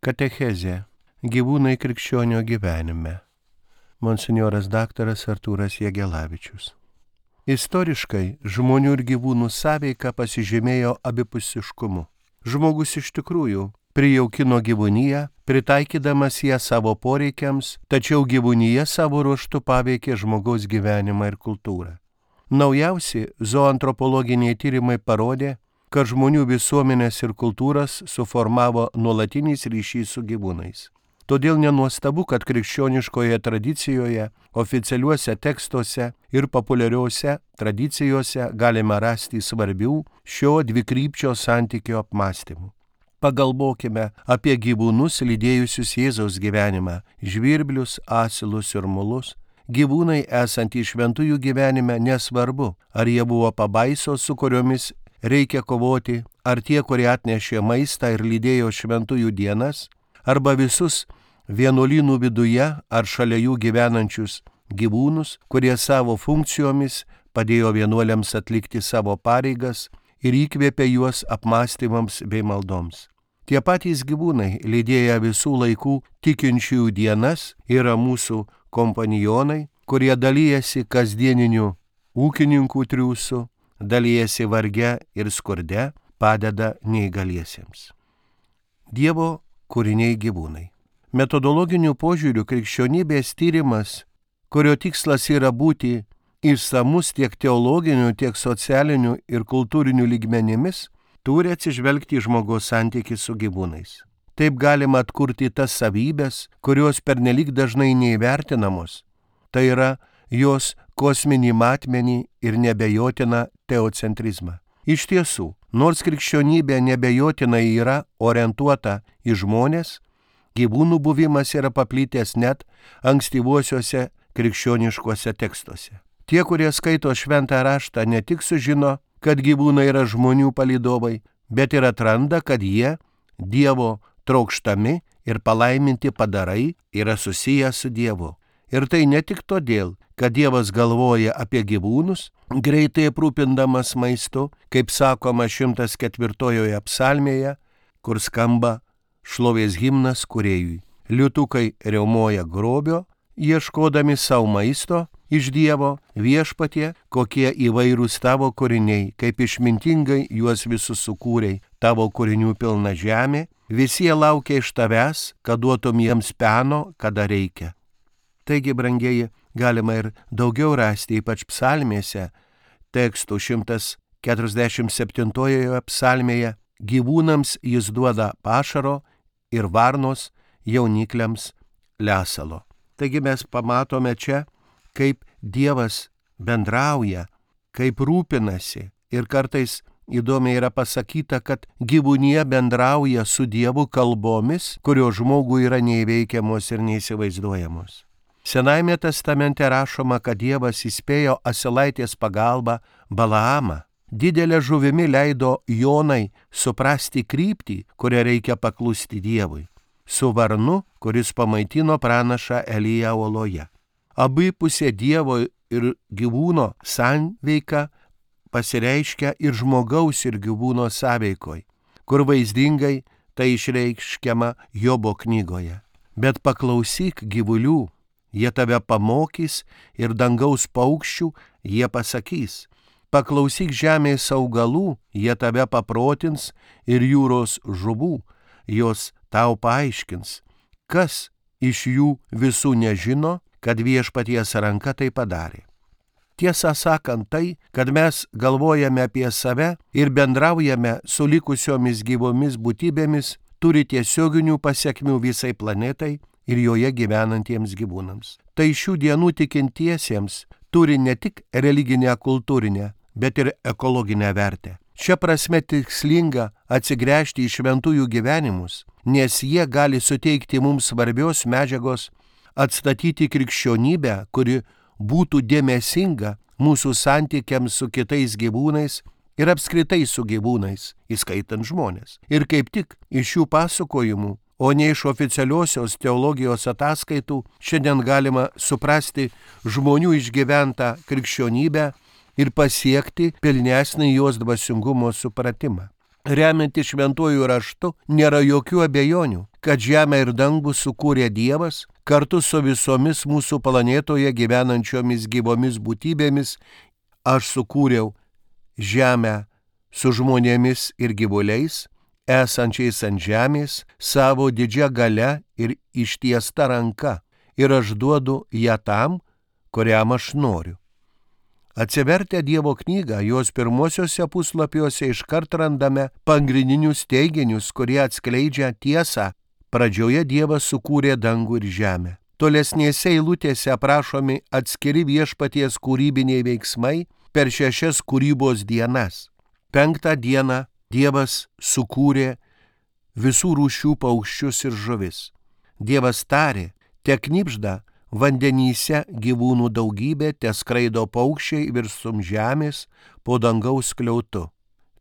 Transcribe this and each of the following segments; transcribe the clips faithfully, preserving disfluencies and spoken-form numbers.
Katechezė. Gyvūnai krikščionio gyvenime. Monsinjoras daktaras Artūras Jagelavičius. Istoriškai žmonių ir gyvūnų sąveika pasižymėjo abipusiškumu. Žmogus iš tikrųjų prijaukino gyvūniją, pritaikydamas ją savo poreikiams, tačiau gyvūnija savo ruožtu paveikė žmogaus gyvenimą ir kultūrą. Naujausi zoantropologiniai tyrimai parodė, kad žmonių visuomenės ir kultūras suformavo nuolatinis ryšys su gyvūnais. Todėl nenuostabu, kad krikščioniškoje tradicijoje, oficialiuose tekstuose ir populiariuose tradicijose galime rasti svarbių šio dvikrypčio santykio apmąstymų. Pagalvokime apie gyvūnus lydėjusius Jėzaus gyvenimą - žvirblius, asilus ir mulus. Gyvūnai esantys šventųjų gyvenime nesvarbu, ar jie buvo pabaisos, su kuriomis reikia kovoti, ar tie, kurie atnešė maistą ir lydėjo šventųjų dienas, arba visus vienuolynų viduje ar šalia jų gyvenančius gyvūnus, kurie savo funkcijomis padėjo vienuoliams atlikti savo pareigas ir įkvėpė juos apmąstymams bei maldoms. Tie patys gyvūnai, lydėję visų laikų tikinčiųjų dienas, yra mūsų kompanionai, kurie dalyjasi kasdieniniu ūkininkų triūsu, dalyjasi varge ir skurde, padeda neįgaliesiems. Dievo kūriniai gyvūnai. Metodologiniu požiūriu krikščionybės tyrimas, kurio tikslas yra būti išsamus tiek teologiniu, tiek socialiniu ir kultūriniu lygmenimis, turi atsižvelgti į žmogaus santykį su gyvūnais. Taip galima atkurti tas savybės, kurios pernelyg dažnai neįvertinamos. Tai yra jos kosminį matmenį ir nebejotiną teocentrizmą. Iš tiesų, nors krikščionybė nebejotinai yra orientuota į žmones, gyvūnų buvimas yra paplitęs net ankstyvuosiuose krikščioniškuose tekstuose. Tie, kurie skaito šventą raštą, ne tik sužino, kad gyvūnai yra žmonių palydovai, bet ir atranda, kad jie, Dievo trokštami ir palaiminti padarai, yra susiję su Dievu. Ir tai ne tik todėl, kad Dievas galvoja apie gyvūnus, greitai aprūpindamas maistu, kaip sakoma šimtas ketvirtojoje psalmėje, kur skamba šlovės himnas kūrėjui. Liutukai riaumoja grobio, ieškodami savo maisto iš Dievo, viešpatie, kokie įvairūs tavo kūriniai, kaip išmintingai juos visus sukūrei, tavo kūrinių pilna žemė, visi jie laukia iš tavęs, kad duotum jiems peno, kada reikia. Taigi, brangieji, galima ir daugiau rasti, ypač psalmėse, tekstų šimtas keturiasdešimt septintojoje psalmėje, gyvūnams jis duoda pašaro ir varnos jaunikliams lesalo. Taigi mes pamatome čia, kaip Dievas bendrauja, kaip rūpinasi ir kartais įdomiai yra pasakyta, kad gyvūnija bendrauja su Dievu kalbomis, kurios žmogui yra neįveikiamos ir neįsivaizduojamos. Senajame testamente rašoma, kad Dievas įspėjo asilaitės pagalba Balaamą. Didelė žuvimi leido Jonai suprasti kryptį, kurią reikia paklusti Dievui, su varnu, kuris pamaitino pranašą Eliją oloje. Abipusė Dievo ir gyvūno sanveika pasireiškia ir žmogaus ir gyvūno sąveikoj, kur vaizdingai tai išreiškiama Jobo knygoje. Bet paklausyk gyvulių, jie tave pamokys, ir dangaus paukščių jie pasakys. Paklausyk žemės augalų, jie tave paprotins, ir jūros žuvų, jos tau paaiškins. Kas iš jų visų nežino, kad viešpaties ranka tai padarė? Tiesą sakant tai, kad mes galvojame apie save ir bendraujame su likusiomis gyvomis būtybėmis, turi tiesioginių pasekmių visai planetai ir joje gyvenantiems gyvūnams. Tai šių dienų tikintiesiems turi ne tik religinę kultūrinę, bet ir ekologinę vertę. Šia prasme tikslinga atsigręžti į šventųjų gyvenimus, nes jie gali suteikti mums svarbios medžiagos atstatyti krikščionybę, kuri būtų dėmesinga mūsų santykiams su kitais gyvūnais ir apskritai su gyvūnais, įskaitant žmonės. Ir kaip tik iš šių pasakojimų, o ne iš oficialiosios teologijos ataskaitų, šiandien galima suprasti žmonių išgyventą krikščionybę ir pasiekti pilnesnį jos dvasingumo supratimą. Remiantis šventuoju raštu, nėra jokių abejonių, kad žemę ir dangų sukūrė Dievas kartu su visomis mūsų planetoje gyvenančiomis gyvomis būtybėmis. Aš sukūriau žemę su žmonėmis ir gyvuliais, esančiais ant žemės, savo didžia galia ir ištiesta ranka, ir aš duodu ją tam, kuriam aš noriu. Atsivertę Dievo knygą, jos pirmosiuose puslapiuose iškart randame pagrindinius teiginius, kurie atskleidžia tiesą. Pradžioje Dievas sukūrė dangų ir žemę. Tolesnėse eilutėse aprašomi atskiri viešpaties kūrybiniai veiksmai per šešias kūrybos dienas. Penktą dieną Dievas sukūrė visų rūšių paukščius ir žuvis. Dievas tarė, te knibžda vandenyse gyvūnų daugybė, te skraido paukščiai virsum žemės po dangaus skliautu.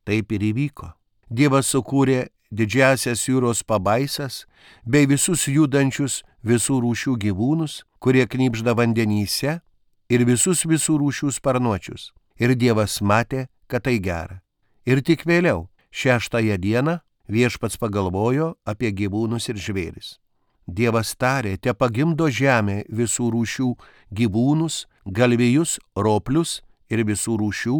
Taip ir įvyko. Dievas sukūrė didžiasias jūros pabaisas bei visus judančius visų rūšių gyvūnus, kurie knibžda vandenyse, ir visus visų rūšių sparnuočius. Ir Dievas matė, kad tai gera. Ir tik vėliau, šeštąją dieną, viešpats pagalvojo apie gyvūnus ir žvėris. Dievas tarė, te pagimdo žemė visų rūšių gyvūnus, galvijus, roplius ir visų rūšių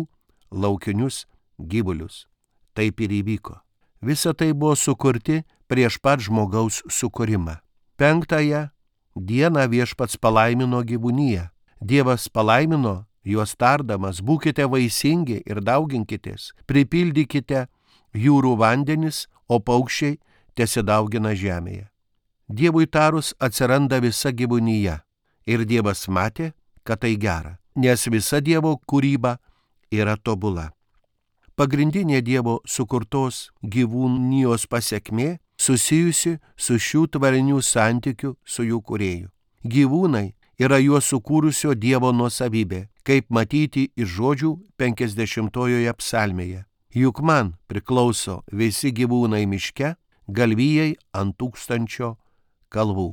laukinius gyvulius. Taip ir įvyko. Visa tai buvo sukurti prieš pat žmogaus sukūrimą. Penktąją dieną viešpats palaimino gyvūniją. Dievas palaimino juos tardamas, būkite vaisingi ir dauginkitės, pripildykite jūrų vandenis, o paukščiai tesidaugina žemėje. Dievui tarus atsiranda visa gyvūnyje ir Dievas matė, kad tai gera, nes visa Dievo kūryba yra tobula. Pagrindinė Dievo sukurtos gyvūnijos pasekmė susijusi su šių tvarinių santykių su jų kūrėju. Gyvūnai yra juos sukūrusio Dievo nuosavybė, kaip matyti iš žodžių penkiasdešimtojoje psalmėje. Juk man priklauso visi gyvūnai miške, galvijai ant tūkstančio kalvų.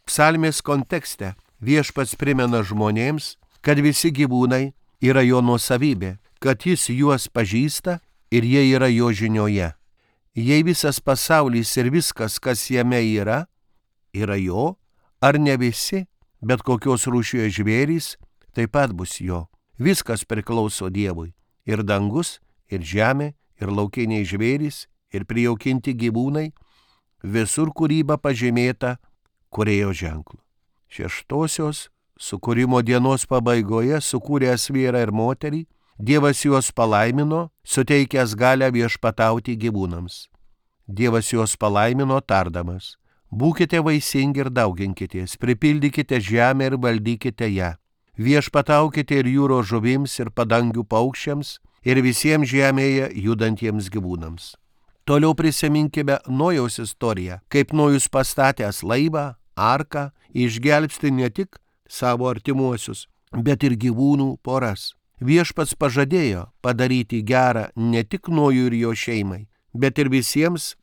Psalmės kontekste viešpats primena žmonėms, kad visi gyvūnai yra jo nuosavybė, kad jis juos pažįsta ir jie yra jo žinioje. Jei visas pasaulis ir viskas, kas jame yra, yra jo, ar ne visi, bet kokios rūšies žvėrys, taip pat bus jo. Viskas priklauso Dievui. Ir dangus, ir žemė, ir laukiniai žvėrys, ir prijaukinti gyvūnai, visur kūryba pažymėta kūrėjo ženklu. Šeštosios sukūrimo dienos pabaigoje sukūręs vyrą ir moterį, Dievas juos palaimino, suteikęs galią viešpatauti gyvūnams. Dievas juos palaimino tardamas, būkite vaisingi ir dauginkitės, pripildykite žemę ir valdykite ją. Viešpataukite ir jūros žuvims ir padangių paukščiams ir visiems žemėje judantiems gyvūnams. Toliau prisiminkime Nojaus istoriją, kaip Nojus pastatęs laivą, arką, išgelbsti ne tik savo artimuosius, bet ir gyvūnų poras. Viešpats pažadėjo padaryti gerą ne tik Nojui ir jo šeimai, bet ir visiems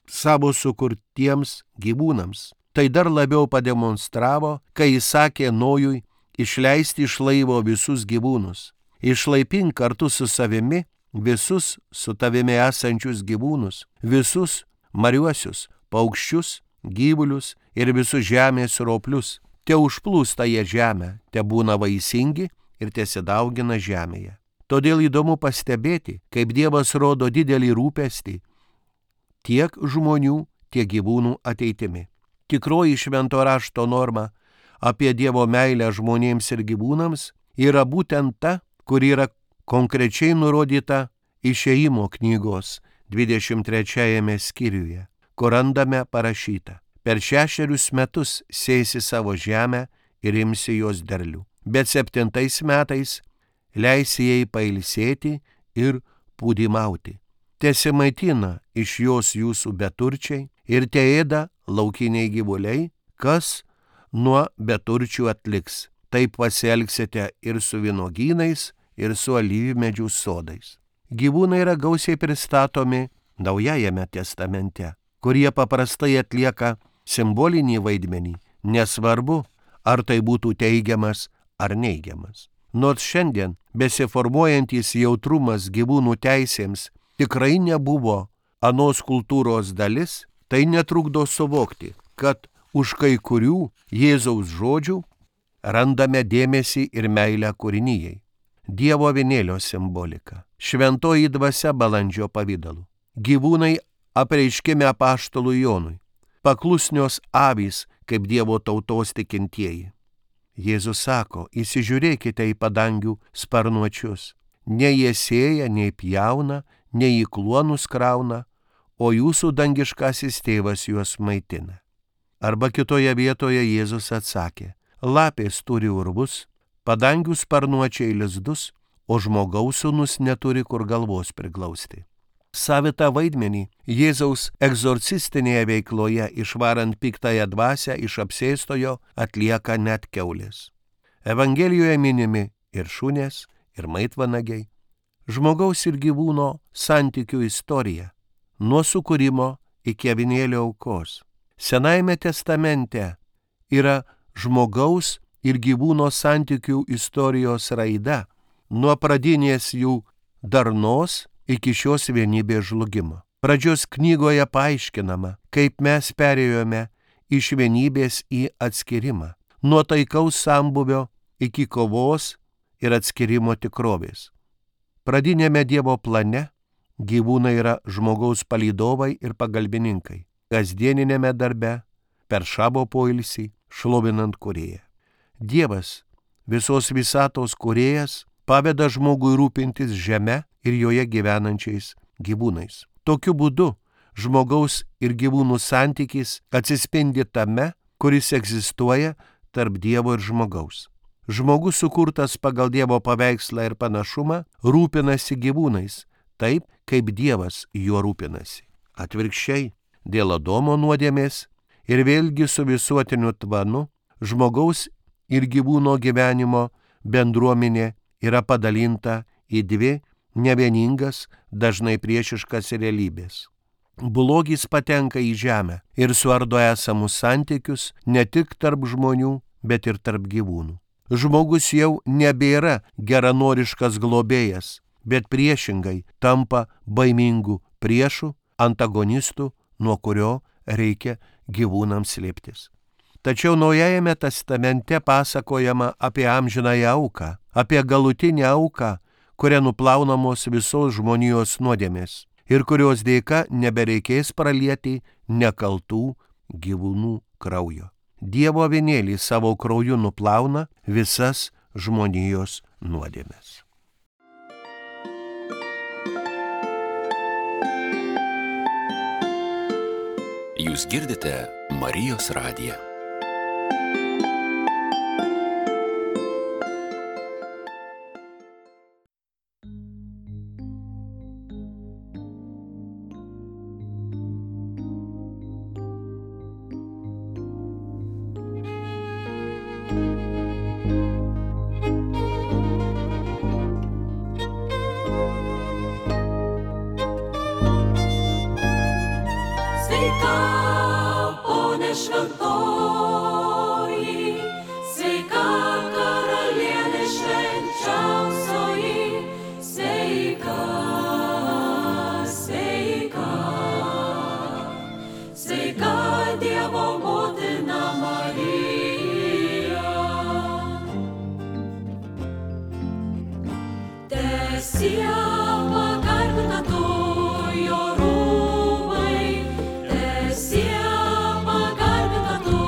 savo sukurtiems gyvūnams. Tai dar labiau pademonstravo, kai jis sakė Nojui išleisti iš laivo visus gyvūnus. Išlaipink kartu su savimi visus su tavimi esančius gyvūnus, visus mariuosius, paukščius, gyvulius ir visus žemės roplius. Te užplūsta jie žemę, te būna vaisingi ir tesidaugina žemėje. Todėl įdomu pastebėti, kaip Dievas rodo didelį rūpestį tiek žmonių, tiek gyvūnų ateitimi. Tikroji švento rašto norma apie Dievo meilę žmonėms ir gyvūnams yra būtent ta, kur yra konkrečiai nurodyta Išėjimo knygos dvidešimt trečiajame skyriuje, kur randame parašyta: per šešerius metus sėsi savo žemę ir imsi jos derlių, bet septintais metais leisi jai pailsėti ir pūdymauti. Tesimaitina iš jos jūsų beturčiai ir teėda laukiniai gyvuliai, kas nuo beturčių atliks. Taip pasielgsite ir su vynogynais, ir su alyvmedžių sodais. Gyvūnai yra gausiai pristatomi Naujajame testamente, kurie paprastai atlieka simbolinį vaidmenį, nesvarbu, ar tai būtų teigiamas ar neigiamas. Nors šiandien besiformuojantis jautrumas gyvūnų teisėms tikrai nebuvo anos kultūros dalis, tai netrukdo suvokti, kad už kai kurių Jėzaus žodžių randame dėmesį ir meilę kūrinijai. Dievo avinėlio simbolika, šventoji dvasia balandžio pavidalu, gyvūnai apreiškime apaštalui Jonui, paklusnios avys kaip Dievo tautos tikintieji. Jėzus sako, įsižiūrėkite į padangių sparnuočius, nei jie sėja, nei pjauna, nei į kluonus krauna, o jūsų dangiškasis tėvas juos maitina. Arba kitoje vietoje Jėzus atsakė, lapės turi urvus, padangių sparnuočiai lizdus, o žmogaus sūnus neturi kur galvos priglausti. Savitą vaidmenį Jėzaus egzorcistinėje veikloje išvarant piktąją dvasią iš apsėstojo atlieka net kiaulės. Evangelijoje minimi ir šunės, ir maitvanagiai. Žmogaus ir gyvūno santykių istorija, nuo sukūrimo iki avinėlio aukos. Senajame testamente yra žmogaus ir gyvūno santykių istorijos raida, nuo pradinės jų darnos iki šios vienybės žlugimo. Pradžios knygoje paaiškinama, kaip mes perėjome iš vienybės į atskirimą, nuo taikaus sambuvio iki kovos ir atskirimo tikrovės. Pradinėme Dievo plane gyvūnai yra žmogaus palydovai ir pagalbininkai, kasdieninėme darbe, per šabo poilsį, šlovinant Kūrėją. Dievas, visos visatos Kūrėjas, paveda žmogui rūpintis žeme ir joje gyvenančiais gyvūnais. Tokiu būdu žmogaus ir gyvūnų santykis atsispindi tame, kuris egzistuoja tarp Dievo ir žmogaus. Žmogus sukurtas pagal Dievo paveikslą ir panašumą rūpinasi gyvūnais, taip kaip Dievas juo rūpinasi. Atvirkščiai, dėl Adomo nuodėmės ir vėlgi su visuotiniu tvanu, žmogaus ir gyvūno gyvenimo bendruomenė yra padalinta į dvi nevieningas, dažnai priešiškas realybės. Blogis patenka į žemę ir suardo esamus santykius ne tik tarp žmonių, bet ir tarp gyvūnų. Žmogus jau nebėra geranoriškas globėjas, bet priešingai tampa baimingų priešų, antagonistų, nuo kurio reikia gyvūnams slėptis. Tačiau Naujajame testamente pasakojama apie amžinąją auką, apie galutinę auką, kuria nuplaunamos visos žmonijos nuodėmės ir kurios dėka nebereikės pralieti nekaltų gyvūnų kraujo. Dievo avinėlį savo krauju nuplauna visas žmonijos nuodėmės. Jūs girdite Marijos radiją. Šventoji, sveika karalienė švenčiausioji, sveika, sveika, sveika Dievo motina Marija. Teesie pagarbina tu jo rūmai, teesie pagarbina tu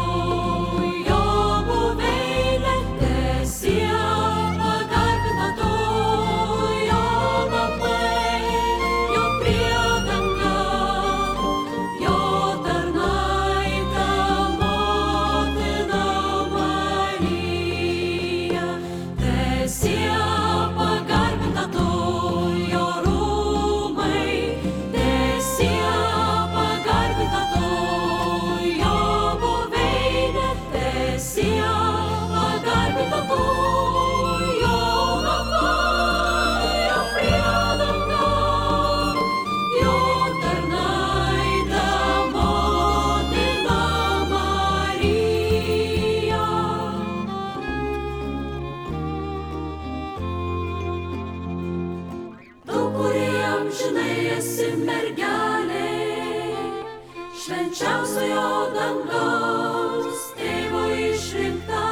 gimtojo dangaus, tėvo išrinkta,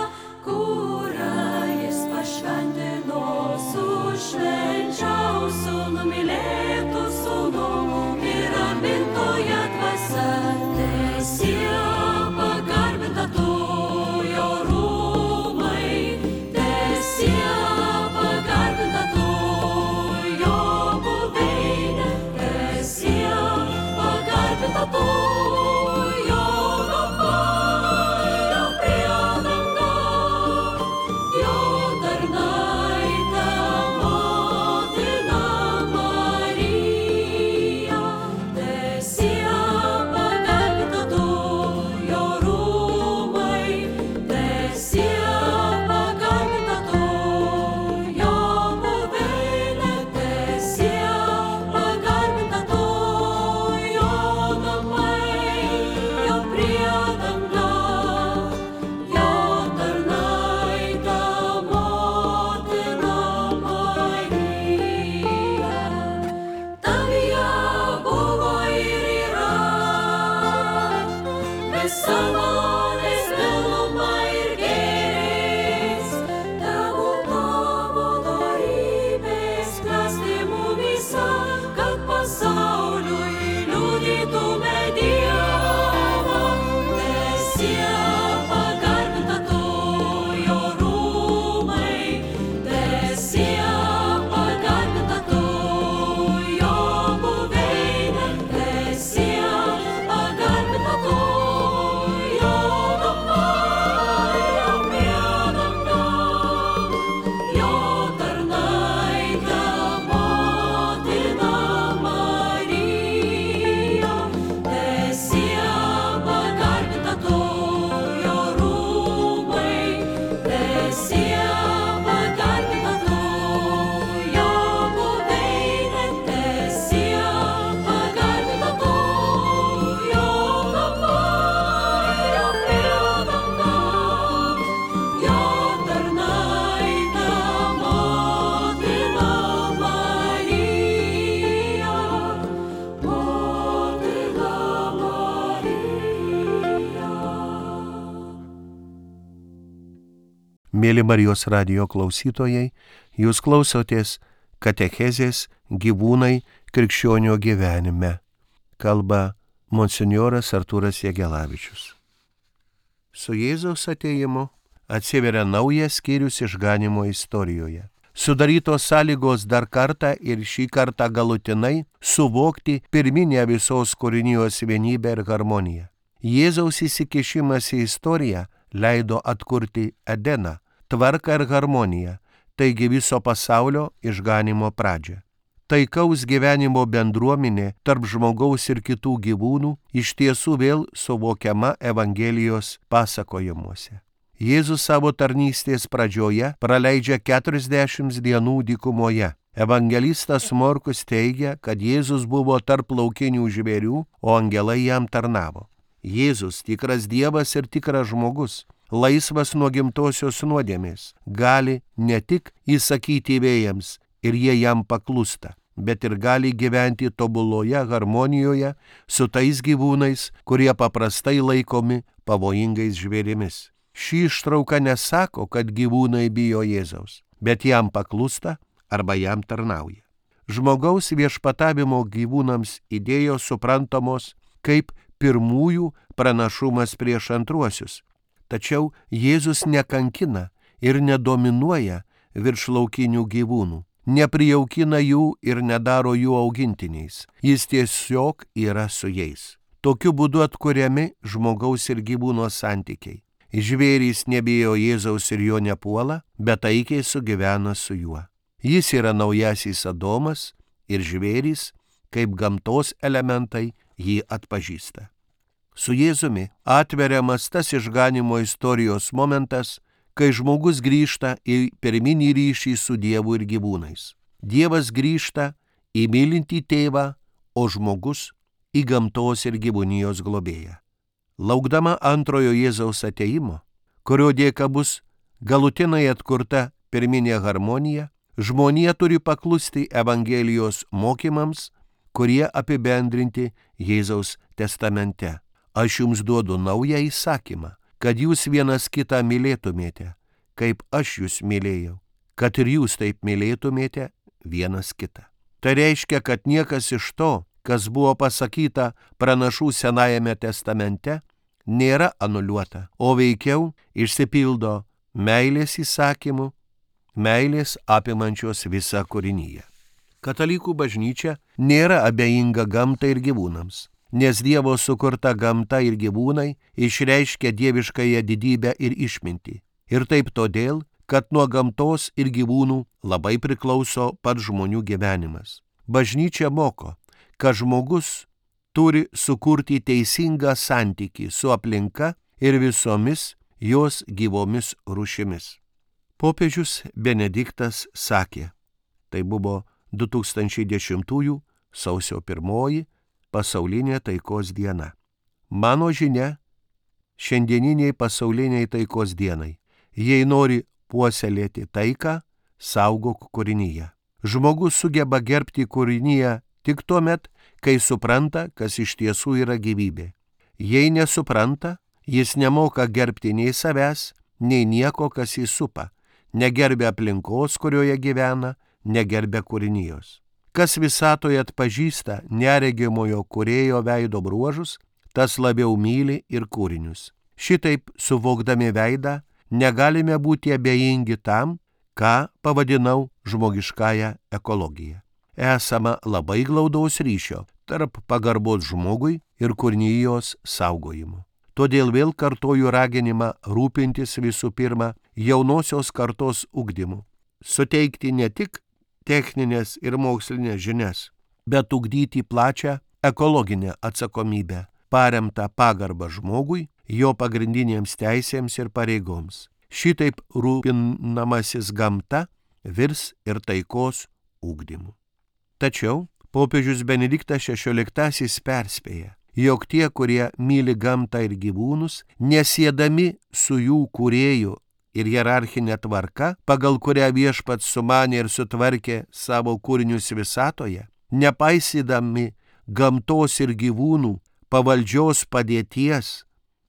kurią jis pašventino su švenčiausiu numylėtu sūnų ir ramintoja dvasia. Teesie pagarbinta tu jo rūmai, teesie pagarbinta tu jo buveinė, teesie pagarbinta tu jo namai, jo priedanga, jo tarnaitė motina Marija. Teesie pagarbinta tu jo rūmai, teesie pagarbinta tu jo buveinė, teesie pagarbinta tu jo namai, jo priedanga, jo tarnaitė motina Marija. Tavyje buvo ir yra visa malonės pilnuma ir gėris. Tegul tavo dorybės klesti mumyse, kad pasauliui liudytume Dievą. Teesie pagarbinta tu jo rūmai, teesie pagarbinta tu jo buveinė, teesie pagarbinta tu jo namai, jo priedanga, jo tarnaitė motina Marija. Teesie pagarbinta tu jo rūmai, teesie pagarbinta tu jo buveinė, teesie pagarbinta tu jo namai, jo priedanga, jo tarnaitė motina Marija, motina Marija. Mėly Marijos radijo klausytojai, jūs klausotės katechezės gyvūnai krikščionio gyvenime. Kalba monsinjoras Artūras Jegelavičius. Su Jėzaus atėjimu atsiveria naujas skyrius išganymo istorijoje. Sudarytos sąlygos dar kartą ir šį kartą galutinai suvokti pirminę visos kūrinijos vienybę ir harmoniją. Jėzaus įsikišimas į istoriją leido atkurti Edeną, tvarką ir harmoniją, taigi viso pasaulio išganymo pradžią. Taikaus gyvenimo bendruomenė tarp žmogaus ir kitų gyvūnų iš tiesų vėl suvokiama Evangelijos pasakojimuose. Jėzus savo tarnystės pradžioje praleidžia keturiasdešimt dienų dykumoje. Evangelistas Morkus teigia, kad Jėzus buvo tarp laukinių žvėrių, o angelai jam tarnavo. Jėzus, tikras Dievas ir tikras žmogus, laisvas nuo gimtosios nuodėmės, gali ne tik įsakyti vėjams ir jie jam paklūsta, bet ir gali gyventi tobuloje harmonijoje su tais gyvūnais, kurie paprastai laikomi pavojingais žvėrimis. Ši ištrauka nesako, kad gyvūnai bijo Jėzaus, bet jam paklūsta arba jam tarnauja. Žmogaus viešpatavimo gyvūnams idėjos suprantamos kaip pirmųjų pranašumas prieš antruosius. Tačiau Jėzus nekankina ir nedominuoja virš laukinių gyvūnų, neprijaukina jų ir nedaro jų augintiniais. Jis tiesiog yra su jais. Tokiu būdu atkuriami žmogaus ir gyvūno santykiai. Žvėrys nebijo Jėzaus ir jo nepuola, bet taikiai sugyvena su juo. Jis yra naujasis Adomas ir žvėrys, kaip gamtos elementai, jį atpažįsta. Su Jėzumi atveriamas tas išganimo istorijos momentas, kai žmogus grįžta į pirminį ryšį su Dievu ir gyvūnais. Dievas grįžta į mylintį tėvą, o žmogus į gamtos ir gyvūnijos globėją. Laukdama antrojo Jėzaus atėjimo, kurio dėka bus galutinai atkurta pirminė harmonija, žmonija turi paklusti Evangelijos mokymams, kurie apibendrinti Jėzaus testamente. Aš jums duodu naują įsakymą, kad jūs vienas kitą mylėtumėte, kaip aš jūs mylėjau, kad ir jūs taip mylėtumėte vienas kitą. Tai reiškia, kad niekas iš to, kas buvo pasakyta pranašų Senajame testamente, nėra anuliuota, o veikiau išsipildo meilės įsakymų, meilės apimančios visą kūrinyje. Katalikų bažnyčia nėra abejinga gamtai ir gyvūnams, nes Dievo sukurta gamta ir gyvūnai išreiškia dieviškąją didybę ir išmintį. Ir taip todėl, kad nuo gamtos ir gyvūnų labai priklauso pats žmonių gyvenimas. Bažnyčia moko, kad žmogus turi sukurti teisingą santykį su aplinka ir visomis jos gyvomis rūšimis. Popiežius Benediktas sakė, tai buvo du tūkstančiai dešimtųjų sausio pirmoji pasaulinė taikos diena. Mano žinia šiandieniniai pasauliniai taikos dienai. Jei nori puoselėti taiką, saugok kūrinyje. Žmogus sugeba gerbti kūrinyje tik tuomet, kai supranta, kas iš tiesų yra gyvybė. Jei nesupranta, jis nemoka gerbti nei savęs, nei nieko, kas jį supa, negerbia aplinkos, kurioje gyvena, negerbia kūrinijos. Kas visatoje atpažįsta neregimojo kūrėjo veido bruožus, tas labiau myli ir kūrinius. Šitaip, suvokdami veidą, negalime būti abejingi tam, ką pavadinau žmogiškąją ekologiją. Esama labai glaudaus ryšio tarp pagarbos žmogui ir kūrinijos saugojimo. Todėl vėl kartoju raginimą rūpintis visų pirma jaunosios kartos ugdymu, suteikti ne tik techninės ir mokslinės žinias, bet ugdyti plačią ekologinę atsakomybę, paremtą pagarbą žmogui, jo pagrindinėms teisėms ir pareigoms. Šitaip rūpinamasis gamta virs ir taikos ugdymu. Tačiau popiežius Benediktas šešioliktasis perspėja, jog tie, kurie myli gamtą ir gyvūnus, nesiedami su jų kūrėju ir hierarchinė tvarka, pagal kurią viešpats sumanė ir sutvarkė savo kūrinius visatoje, nepaisydami gamtos ir gyvūnų pavaldžios padėties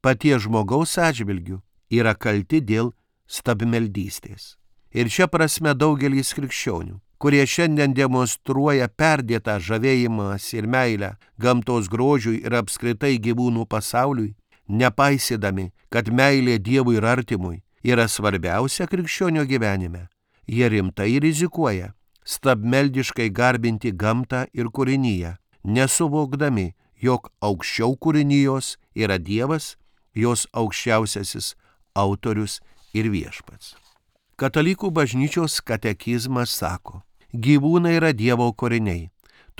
paties žmogaus atžvilgių, yra kalti dėl stabmeldystės. Ir šia prasme daugelis krikščionių, kurie šiandien demonstruoja perdėtą žavėjimas ir meilę gamtos grožiui ir apskritai gyvūnų pasauliui, nepaisydami, kad meilė Dievui ir artimui yra svarbiausia krikščionio gyvenime, jie rimtai rizikuoja stabmeldiškai garbinti gamtą ir kūrinyje, nesuvokdami, jog aukščiau kūrinijos yra Dievas, jos aukščiausiasis autorius ir viešpats. Katalikų bažnyčios katekizmas sako, gyvūnai yra Dievo kūriniai,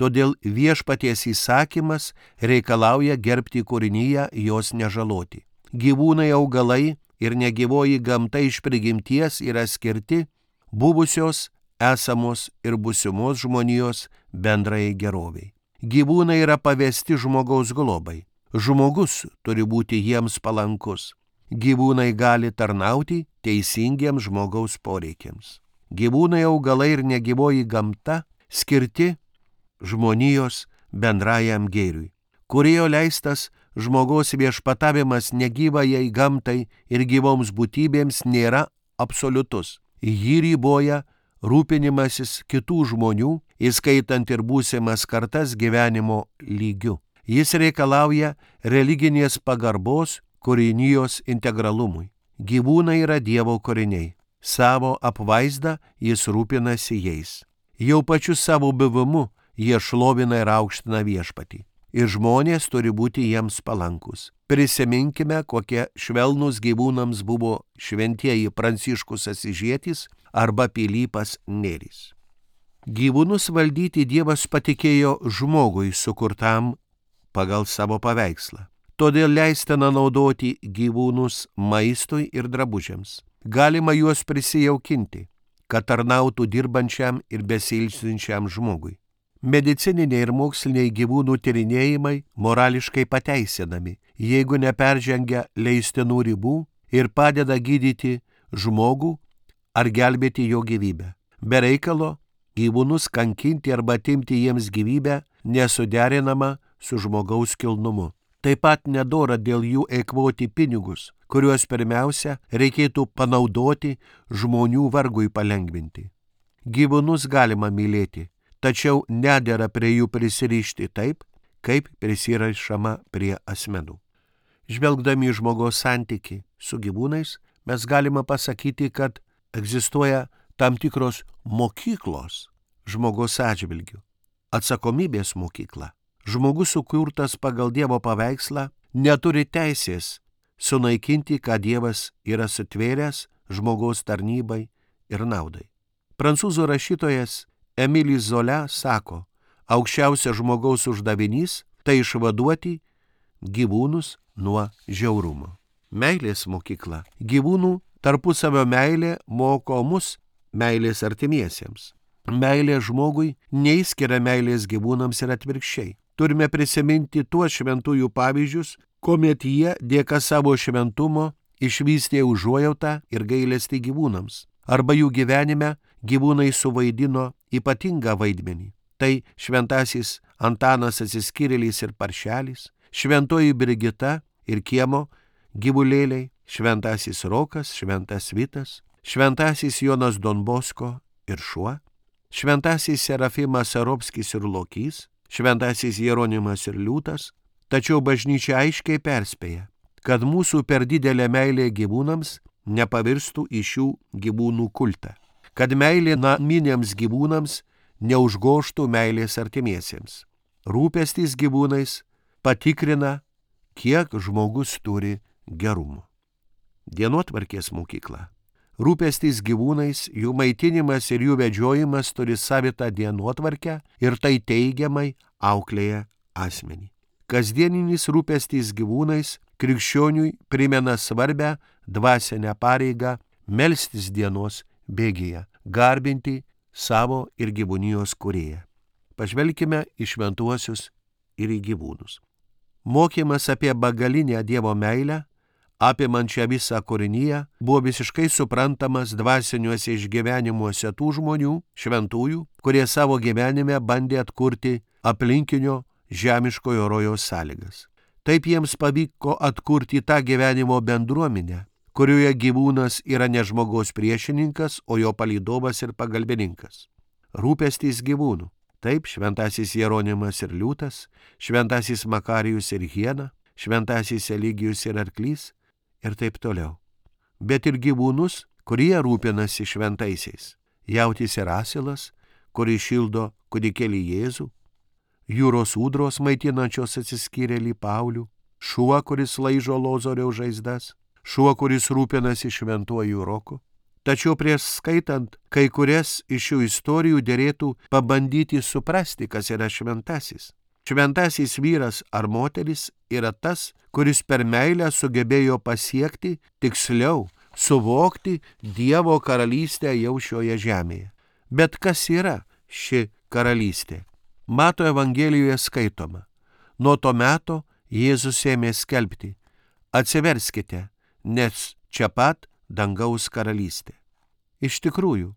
todėl viešpaties įsakymas reikalauja gerbti kūrinyje, jos nežaloti. Gyvūnai, augalai ir negyvoji gamta iš prigimties yra skirti buvusios, esamos ir būsimos žmonijos bendrai geroviai. Gyvūnai yra pavesti žmogaus globai. Žmogus turi būti jiems palankus. Gyvūnai gali tarnauti teisingiems žmogaus poreikiams. Gyvūnai, augalai ir negyvoji gamta skirti žmonijos bendrajam gėriui. Kūrėjo leistas žmogaus viešpatavimas negyvajai gamtai ir gyvoms būtybėms nėra absoliutus. Jį riboja rūpinimasis kitų žmonių, įskaitant ir būsimas kartas gyvenimo lygiu. Jis reikalauja religinės pagarbos kūrinijos integralumui. Gyvūnai yra Dievo kūriniai. Savo apvaizdą jis rūpinasi jais. Jau pačiu savo buvimu jie šlovina ir aukština viešpatį. Ir žmonės turi būti jiems palankus. Prisiminkime, kokie švelnus gyvūnams buvo šventieji Pranciškus Asyžietis arba Pilypas Nėris. Gyvūnus valdyti Dievas patikėjo žmogui sukurtam pagal savo paveikslą. Todėl leistina naudoti gyvūnus maistui ir drabužiams. Galima juos prisijaukinti, kad tarnautų dirbančiam ir besilsinčiam žmogui. Medicininiai ir moksliniai gyvūnų tyrinėjimai morališkai pateisinami, jeigu neperžengia leistinų ribų ir padeda gydyti žmogų ar gelbėti jo gyvybę. Be reikalo gyvūnus kankinti arba atimti jiems gyvybę nesuderinama su žmogaus kilnumu. Taip pat nedora dėl jų eikvoti pinigus, kuriuos pirmiausia reikėtų panaudoti žmonių vargui palengvinti. Gyvūnus galima mylėti, tačiau nedera prie jų prisirišti taip, kaip prisirišama prie asmenų. Žvelgdami į žmogaus santykį su gyvūnais, mes galime pasakyti, kad egzistuoja tam tikros mokyklos žmogaus atžvilgių. Atsakomybės mokykla. Žmogus sukurtas pagal Dievo paveikslą neturi teisės sunaikinti, ką Dievas yra sutvėręs žmogaus tarnybai ir naudai. Prancūzų rašytojas Emilis Zola sako, aukščiausias žmogaus uždavinys tai išvaduoti gyvūnus nuo žiaurumo. Meilės mokykla. Gyvūnų tarpusavio meilė moko mus meilės artimiesiems. Meilė žmogui neįskiria meilės gyvūnams ir atvirkščiai. Turime prisiminti tuos šventųjų pavyzdžius, kuomet jie dėka savo šventumo išvystė užuojautą ir gailestį gyvūnams. Arba jų gyvenime gyvūnai suvaidino ypatingą vaidmenį. Tai šventasis Antanas Atsiskyrėlis ir Paršelis, šventoji Brigita ir kiemo gyvulėliai, šventasis Rokas, šventas Vitas, šventasis Jonas Don Bosko ir šuo, šventasis Serafimas Sarovskis ir Lokys, šventasis Jeronimas ir Liūtas, tačiau bažnyčia aiškiai perspėja, kad mūsų per didelė meilė gyvūnams nepavirstų į šių gyvūnų kultą, kad meilė naminiams gyvūnams neužgoštų meilės artimiesiems. Rūpestis gyvūnais patikrina, kiek žmogus turi gerumo. Dienotvarkės mokykla. Rūpestis gyvūnais, jų maitinimas ir jų vedžiojimas turi savitą dienotvarkę ir tai teigiamai auklėja asmenį. Kasdieninis rūpestis gyvūnais krikščioniui primena svarbę dvasinę pareigą melstis dienos bėgyje, garbinti savo ir gyvūnijos kūrėją. Pažvelkime į šventuosius ir į gyvūnus. Mokymas apie begalinę Dievo meilę, apimančią visą kūriniją, buvo visiškai suprantamas dvasiniuose išgyvenimuose tų žmonių, šventųjų, kurie savo gyvenime bandė atkurti aplinkinio žemiškojo rojaus sąlygas. Taip jiems pavyko atkurti tą gyvenimo bendruomenę, kurioje gyvūnas yra ne žmogaus priešininkas, o jo palydovas ir pagalbininkas. Rūpestis gyvūnų. Taip, šventasis Jeronimas ir Liūtas, šventasis Makarijus ir Hiena, šventasis Eligijus ir Arklys ir taip toliau. Bet ir gyvūnus, kurie rūpinasi šventaisiais. Jautis ir asilas, kuris šildo kūdikėlį Jėzų, jūros ūdros maitinančios Atsiskyrėlį Paulių, šuo, kuris laižo Lozoriaus žaizdas, šuo, kuris rūpinasi šventuoju Roku. Tačiau prieš skaitant kai kurias iš šių istorijų derėtų pabandyti suprasti, kas yra šventasis. Šventasis vyras ar moteris yra tas, kuris per meilę sugebėjo pasiekti, tiksliau, suvokti Dievo karalystę jau šioje žemėje. Bet kas yra ši karalystė? Mato Evangelijoje skaitoma. Nuo to meto Jėzus ėmė skelbti: atsiverskite, nes čia pat dangaus karalystė. Iš tikrųjų,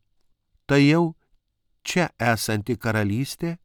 tai jau čia esanti karalystė,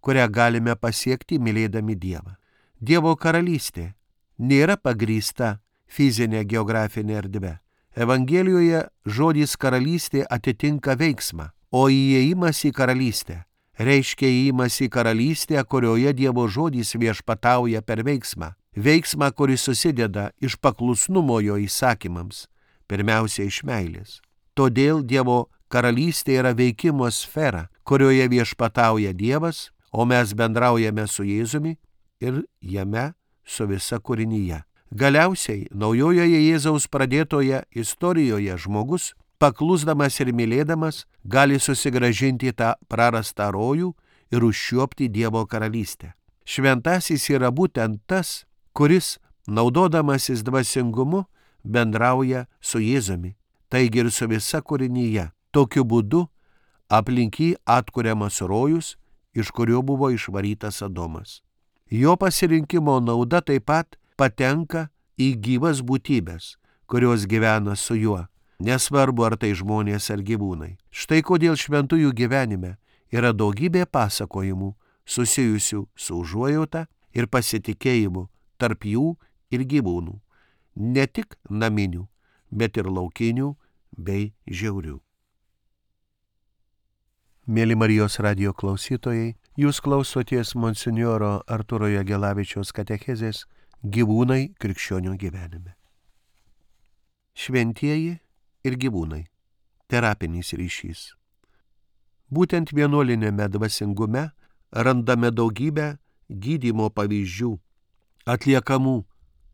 kurią galime pasiekti mylėdami Dievą. Dievo karalystė nėra pagrįsta fizinė geografinė erdvė. Evangelijoje žodis karalystė atitinka veiksmą, o įėjimas į karalystę reiškia įėjimas į karalystę, kurioje Dievo žodis viešpatauja per veiksmą. Veiksmą, kuris susideda iš paklusnumo jo įsakymams, pirmiausia iš meilės. Todėl Dievo karalystė yra veikimo sfera, kurioje viešpatauja Dievas, o mes bendraujame su Jėzumi ir jame su visa kūrinyje. Galiausiai, naujojoje Jėzaus pradėtoje istorijoje žmogus, paklusdamas ir mylėdamas, gali susigrąžinti tą prarastą rojų ir užčiuopti Dievo karalystę. Šventasis yra būtent tas, kuris, naudodamasis dvasingumu, bendrauja su Jėzumi, taigi ir su visa kūrinyje. Tokiu būdu aplink jį atkuriamas rojus, iš kurio buvo išvarytas Adomas. Jo pasirinkimo nauda taip pat patenka į gyvas būtybės, kurios gyvena su juo, nesvarbu ar tai žmonės ar gyvūnai. Štai kodėl šventųjų gyvenime yra daugybė pasakojimų susijusių su užuojauta ir pasitikėjimu tarp jų ir gyvūnų, ne tik naminių, bet ir laukinių bei žiaurių. Mėly Marijos radijo klausytojai, jūs klausoties monsinjoro Artūro Jagelavičiaus katechezės Gyvūnai krikščionių gyvenime. Šventieji ir gyvūnai. Terapinis ryšys. Būtent vienuolinėme dvasingume randame daugybę gydymo pavyzdžių, atliekamų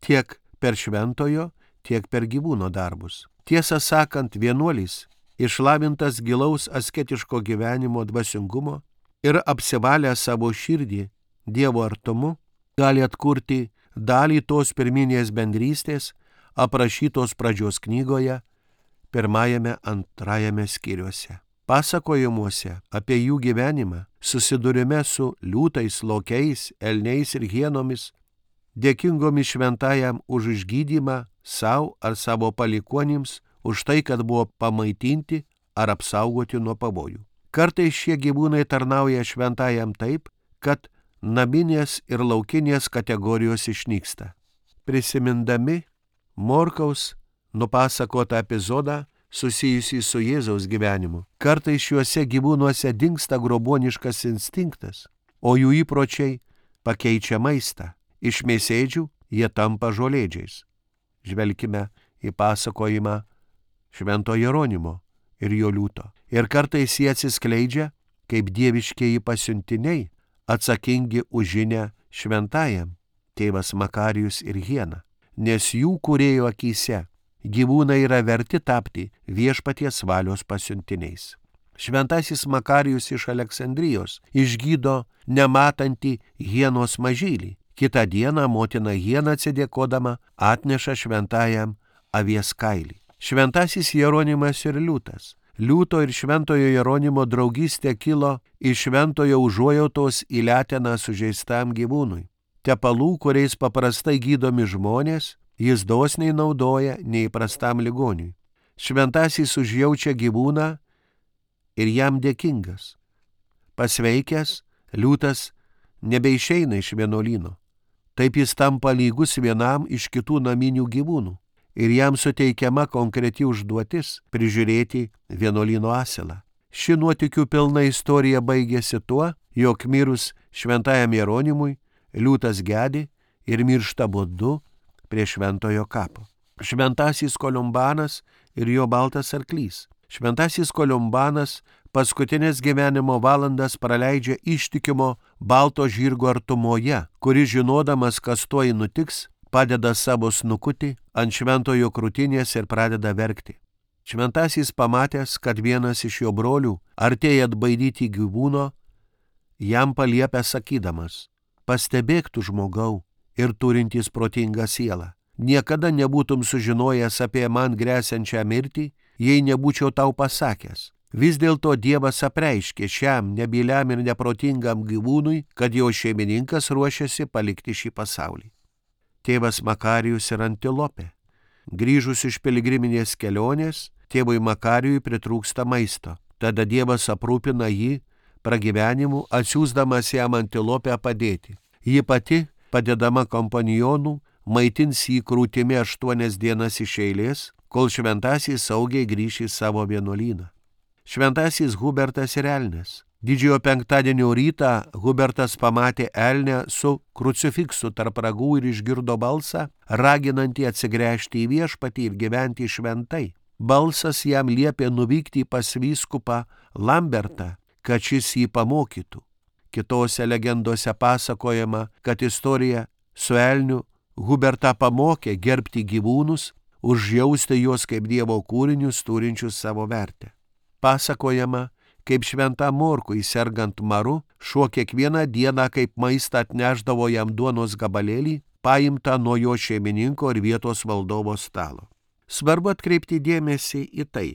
tiek per šventojo, tiek per gyvūno darbus. Tiesą sakant, vienuolis, išlavintas gilaus asketiško gyvenimo dvasingumo ir apsivalę savo širdį Dievo artumu, gali atkurti dalį tos pirminės bendrystės, aprašytos pradžios knygoje, pirmajame, antrajame skyriuose. Pasakojimuose apie jų gyvenimą susidurime su liūtais, lokiais, elniais ir hienomis, dėkingomis šventajam už išgydymą savo ar savo palikuonims, už tai, kad buvo pamaitinti ar apsaugoti nuo pavojų. Kartais šie gyvūnai tarnauja šventajam taip, kad naminės ir laukinės kategorijos išnyksta. Prisimindami Morkaus nupasakotą epizodą susijusį su Jėzaus gyvenimu, kartais šiuose gyvūnuose dingsta groboniškas instinktas, o jų įpročiai pakeičia maistą. Iš mėsėdžių jie tampa žolėdžiais. Žvelkime į pasakojimą Švento Jeronimo ir jo liūto. Ir kartais jie atsiskleidžia kaip dieviškieji pasiuntiniai, atsakingi už žinę šventajam, tėvas Makarijus ir hiena, nes jų kūrėjo akyse gyvūnai yra verti tapti viešpaties valios pasiuntiniais. Šventasis Makarijus iš Aleksandrijos išgydo nematantį hienos mažylį. Kitą dieną motina hiena atsidėkodama atneša šventajam avies kailį. Šventasis Jeronimas ir liūtas. Liūto ir šventojo Jeronimo draugystė kilo iš šventojo užuojautos į leteną sužeistam gyvūnui. Tepalų, kuriais paprastai gydomi žmonės, jis dosniai naudoja neįprastam ligoniui. Šventasis užjaučia gyvūną ir jam dėkingas. Pasveikęs, liūtas nebeišeina iš vienuolyno. Taip jis tampa lygus vienam iš kitų naminių gyvūnų ir jam suteikiama konkreti užduotis prižiūrėti vienuolyno asilą. Ši nuotykių pilna istorija baigėsi tuo, jog mirus šventajam Jeronimui, liūtas gedi ir miršta būdu prie šventojo kapo. Šventasis Kolumbanas ir jo baltas arklys. Šventasis Kolumbanas paskutinės gyvenimo valandas praleidžia ištikimo balto žirgo artumoje, kuris žinodamas, kas tuoj nutiks, padeda savo snukutį ant šventojo krūtinės ir pradeda verkti. Šventasis pamatęs, kad vienas iš jo brolių artėja atbaidyti gyvūno, jam paliepia sakydamas: pastebėk tu žmogau ir turintis protingą sielą. Niekada nebūtum sužinojęs apie man gresiančią mirtį, jei nebūčiau tau pasakęs. Vis dėlto Dievas apreiškė šiam nebyliam ir neprotingam gyvūnui, kad jo šeimininkas ruošiasi palikti šį pasaulį. Tėvas Makarijus ir antilopė. Grįžus iš piligriminės kelionės, tėvui Makarijui pritrūksta maisto. Tada Dievas aprūpina jį pragyvenimu, atsiųsdamas jam antilopę padėti. Ji pati, padedama kompanionų, maitins jį krūtimi aštuonias dienas iš eilės, kol šventasis saugiai grįš į savo vienuolyną. Šventasis Hubertas ir elnias. Didžiojo penktadienio rytą Hubertas pamatė elnę su krucifiksu tarp ragų ir išgirdo balsą, raginantį atsigręžti į viešpatį ir gyventi šventai. Balsas jam liepė nuvykti pas vyskupą Lambertą, kad šis jį pamokytų. Kitose legendose pasakojama, kad istorija su elniu Hubertą pamokė gerbti gyvūnus, užjausti juos kaip Dievo kūrinius turinčius savo vertę. Pasakojama, kaip šventam Morkui sergant maru, šuo kiekvieną dieną kaip maistą atnešdavo jam duonos gabalėlį, paimtą nuo jo šeimininko ir vietos valdovo stalo. Svarbu atkreipti dėmesį į tai,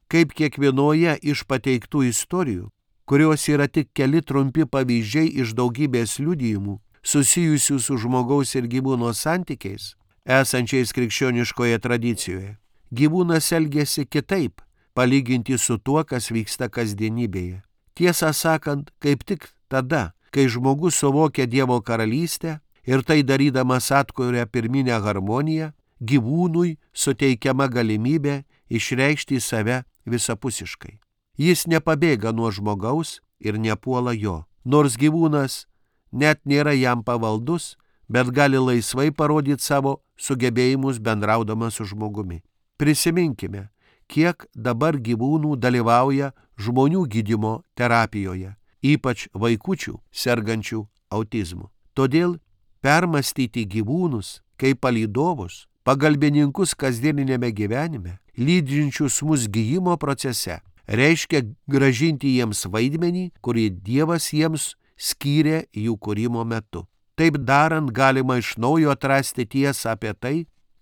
kaip kiekvienoje iš pateiktų istorijų, kurios yra tik keli trumpi pavyzdžiai iš daugybės liudijimų, susijusių su žmogaus ir gyvūno santykiais, esančiais krikščioniškoje tradicijoje, gyvūnas elgiasi kitaip, palyginti su tuo, kas vyksta kasdienybėje. Tiesą sakant, kaip tik tada, kai žmogus suvokia Dievo karalystę, Ir tai darydamas atkuria pirminę harmoniją, gyvūnui suteikiama galimybė išreikšti save visapusiškai. Jis nepabėga nuo žmogaus ir nepuola jo. Nors gyvūnas net nėra jam pavaldus, bet gali laisvai parodyti savo sugebėjimus bendraudamas su žmogumi. Prisiminkime, kiek dabar gyvūnų dalyvauja žmonių gydymo terapijoje, ypač vaikučių sergančių autizmu. Todėl permastyti gyvūnus kaip palydovus, pagalbininkus kasdieninėme gyvenime, lydinčius mus gijimo procese, reiškia gražinti jiems vaidmenį, kurį Dievas jiems skyrė jų kūrimo metu. Taip darant galima iš naujo atrasti tiesą apie tai,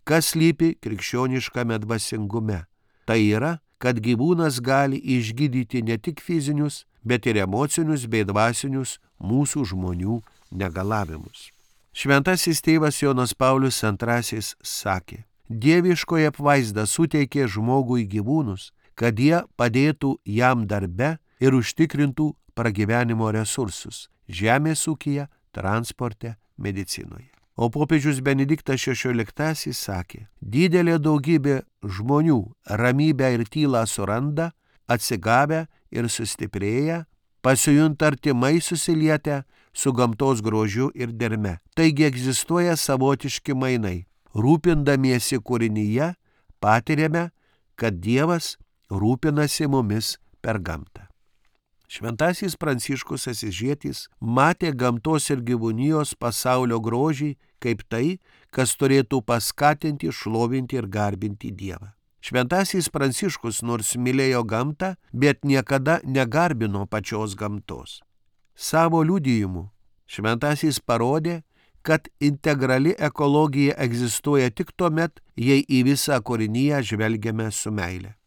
kas slypi krikščioniškame dvasingume. Tai yra, kad gyvūnas gali išgydyti ne tik fizinius, bet ir emocinius bei dvasinius mūsų žmonių negalavimus. Šventasis tėvas Jonas Paulius antrasis sakė, dieviškoji apvaizda suteikė žmogui gyvūnus, kad jie padėtų jam darbe ir užtikrintų pragyvenimo resursus žemės ūkyje, transporte, medicinoje. O popiežius Benediktas šešioliktasis sakė, didelė daugybė žmonių ramybę ir tylą suranda, atsigavę ir sustiprėję, pasijunta artimai susilietę su gamtos grožiu ir derme. Taigi egzistuoja savotiški mainai. Rūpindamiesi kūrinyje, patiriame, kad Dievas rūpinasi mumis per gamtą. Šventasis Pranciškus Asyžietis matė gamtos ir gyvūnijos pasaulio grožį kaip tai, kas turėtų paskatinti, šlovinti ir garbinti Dievą. Šventasis Pranciškus nors mylėjo gamtą, bet niekada negarbino pačios gamtos. Savo liudijimu šventasis parodė, kad integrali ekologija egzistuoja tik tuomet, jei į visą kūriniją žvelgiame su meile.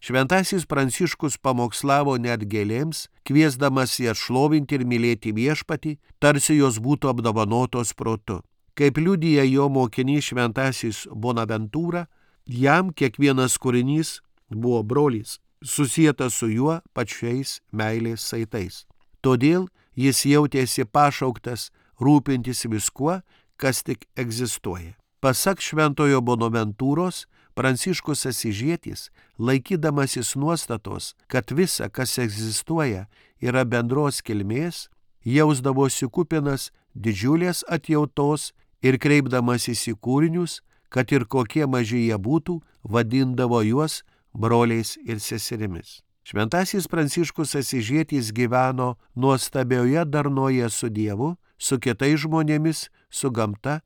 Šventasis Pranciškus pamokslavo net gėlėms, kviesdamas jas šlovinti ir mylėti viešpatį, tarsi jos būtų apdovanotos protu. Kaip liudija jo mokinys šventasis Bonaventūra, jam kiekvienas kūrinys buvo brolis, susietas su juo pačiais meilės saitais. Todėl jis jautėsi pašauktas rūpintis viskuo, kas tik egzistuoja. Pasak šventojo Bonaventūros, Pranciškus Asyžietis, laikydamasis nuostatos, kad visa, kas egzistuoja, yra bendros kilmės, jausdavosi kupinas didžiulės atjautos ir kreipdamasis į kūrinius, kad ir kokie maži jie būtų, vadindavo juos broliais ir seserimis. Šventasis Pranciškus Asyžietis gyveno nuostabioje darnoje su Dievu, su kitais žmonėmis, su gamta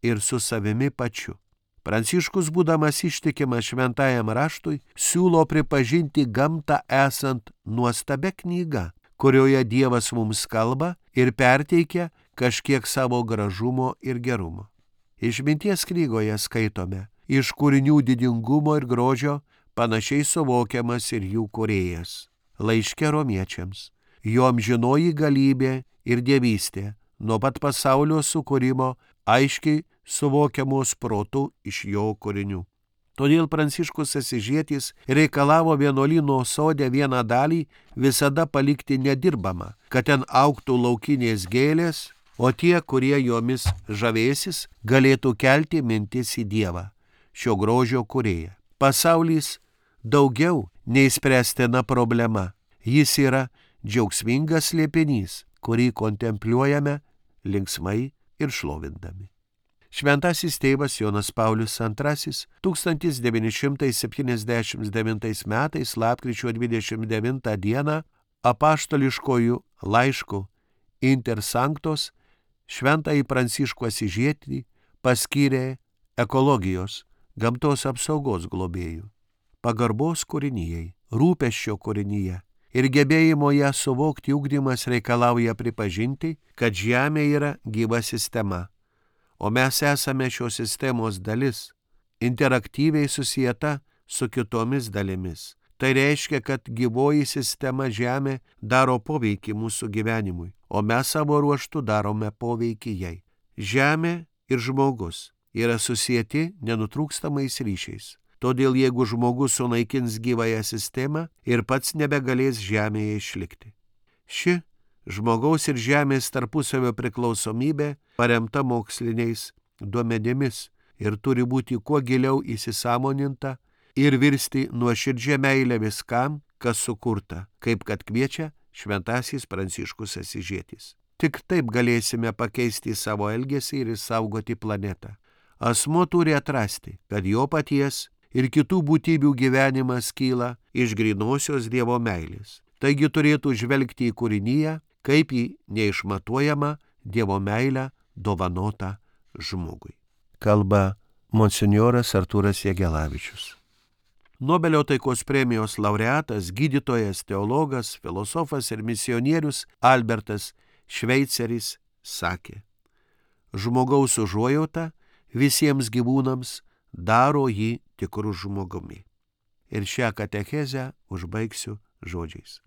ir su savimi pačiu. Pranciškus, būdamas ištikimas šventajam raštui, siūlo pripažinti gamtą esant nuostabia knyga, kurioje Dievas mums kalba ir perteikia kažkiek savo gražumo ir gerumo. Išminties knygoje skaitome, iš kūrinių didingumo ir grožio panašiai suvokiamas ir jų kūrėjas. Laiške romiečiams, jo amžinoji galybė ir dievystė nuo pat pasaulio sukūrimo aiškiai suvokiamos protu iš jo kūrinių. Todėl Pranciškus Asyžietis reikalavo vienuolyno sode vieną dalį visada palikti nedirbamą, kad ten augtų laukinės gėlės, o tie, kurie jomis žavėsis, galėtų kelti mintis į Dievą, šio grožio kūrėją. Pasaulis daugiau nei spręstina problema. Jis yra džiaugsmingas slėpinys, kurį kontempliuojame linksmai ir šlovindami. Šventasis tėvas Jonas Paulius antrasis tūkstantis devyni šimtai septyniasdešimt devintais metais lapkričio dvidešimt devintą dieną apaštališkojų laiškų Inter Sanctos šventąjį Pranciškų Asyžietį paskyrė ekologijos, gamtos apsaugos globėjų, pagarbos kūrinijai, rūpesčio kūrinyje ir gebėjimo ją suvokti ugdymas reikalauja pripažinti, kad Žemė yra gyva sistema, o mes esame šios sistemos dalis, interaktyviai susieta su kitomis dalimis. Tai reiškia, kad gyvoji sistema Žemė daro poveikį mūsų gyvenimui, o mes savo ruožtu darome poveikį jai. Žemė ir žmogus yra susieti nenutrūkstamais ryšiais. Todėl jeigu žmogus sunaikins gyvąją sistemą ir pats nebegalės Žemėje išlikti. Ši Žmogaus ir žemės tarpusavio priklausomybė paremta moksliniais duomenimis ir turi būti kuo giliau įsisąmoninta ir virsti nuoširdžia meilė viskam, kas sukurta, kaip kad kviečia šventasis Pranciškus Asyžietis. Tik taip galėsime pakeisti savo elgesį ir išsaugoti planetą. Asmuo turi atrasti, kad jo paties ir kitų būtybių gyvenimas kyla iš grynosios Dievo meilės. Taigi turėtų žvelgti į kūriniją kaip į neišmatuojamą Dievo meilę dovanotą žmogui. Kalba monsinjoras Artūras Jegelavičius. Nobelio taikos premijos laureatas, gydytojas, teologas, filosofas ir misionierius Albertas Šveiceris sakė: žmogaus užuojauta visiems gyvūnams daro jį tikru žmogumi. Ir šią katechezę užbaigsiu žodžiais.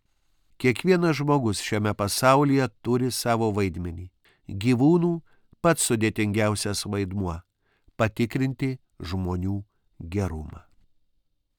Kiekvienas žmogus šiame pasaulyje turi savo vaidmenį. Gyvūnų pats sudėtingiausias vaidmuo – patikrinti žmonių gerumą.